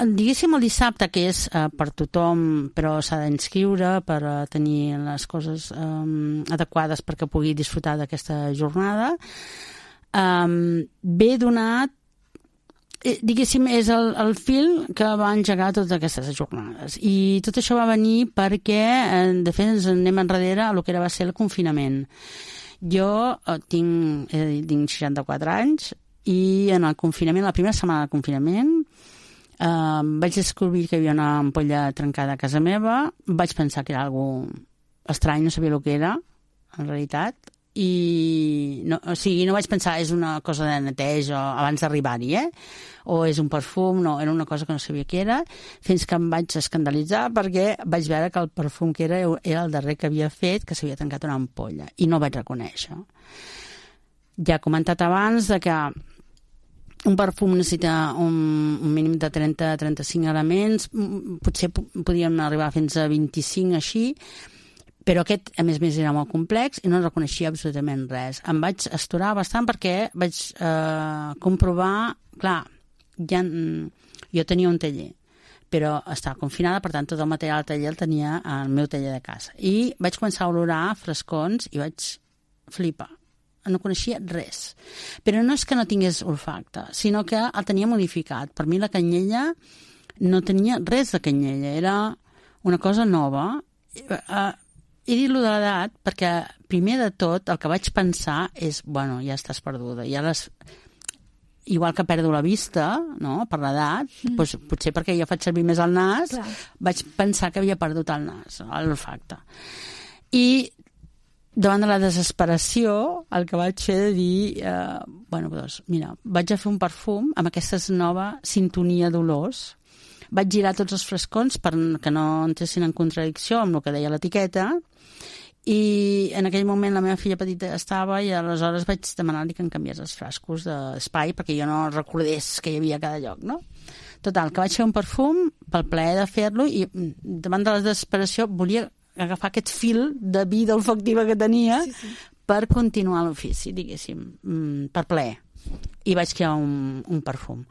Diguéssim el dissabte, que és per tothom, però s'ha d'inscriure per tenir les coses adequades perquè pugui disfrutar d'aquesta jornada, ve donat, diguéssim, és el fil que va engegar totes aquestes jornades. I tot això va venir perquè, de fet, ens anem enrere a el que va ser el confinament. Jo tinc 64 anys i en el confinament, la primera setmana del confinament, vaig descobrir que hi havia una ampolla trencada a casa meva, vaig pensar que era algo estrany, no sabia el que era, en realitat, i no vaig pensar és una cosa de neteja abans d'arribar-hi, o és un perfum, no, era una cosa que no sabia què era, fins que em vaig escandalitzar perquè vaig veure que el perfum que era el darrer que havia fet, que s'havia tancat una ampolla, i no vaig reconèixer. Ja he comentat abans que un perfum necessita un mínim de 30-35 elements, potser podien arribar fins a 25 així, però aquest, a més era molt complex i no reconeixia absolutament res. Em vaig astorar bastant perquè vaig comprovar, clar, jo tenia un taller, però estava confinada, per tant tot el material del taller el tenia al meu taller de casa. I vaig començar a olorar frescons i vaig flipar. No coneixia res. Però no és que no tingués olfacte, sinó que el tenia modificat. Per mi la canyella no tenia res de canyella, era una cosa nova. He dit-lo de l'edat perquè, primer de tot, el que vaig pensar és, bueno, ja estàs perduda. Igual que perdo la vista, no?, per l'edat, doncs, potser perquè jo faig servir més el nas, clar, vaig pensar que havia perdut el nas, l'olfacte. I davant de la desesperació, el que vaig fer de dir, doncs, mira, vaig a fer un perfum amb aquesta nova sintonia d'olors. Vaig girar tots els frescons perquè no entressin en contradicció amb el que deia l'etiqueta, i en aquell moment la meva filla petita estava i aleshores vaig demanar-li que em canviés els frascos d'espai perquè jo no recordés que hi havia a cada lloc, no? Total, que vaig fer un perfum pel plaer de fer-lo i davant de la desesperació volia agafar aquest fil de vida olfactiva que tenia per continuar l'ofici, diguéssim, per plaer. I vaig crear un perfum.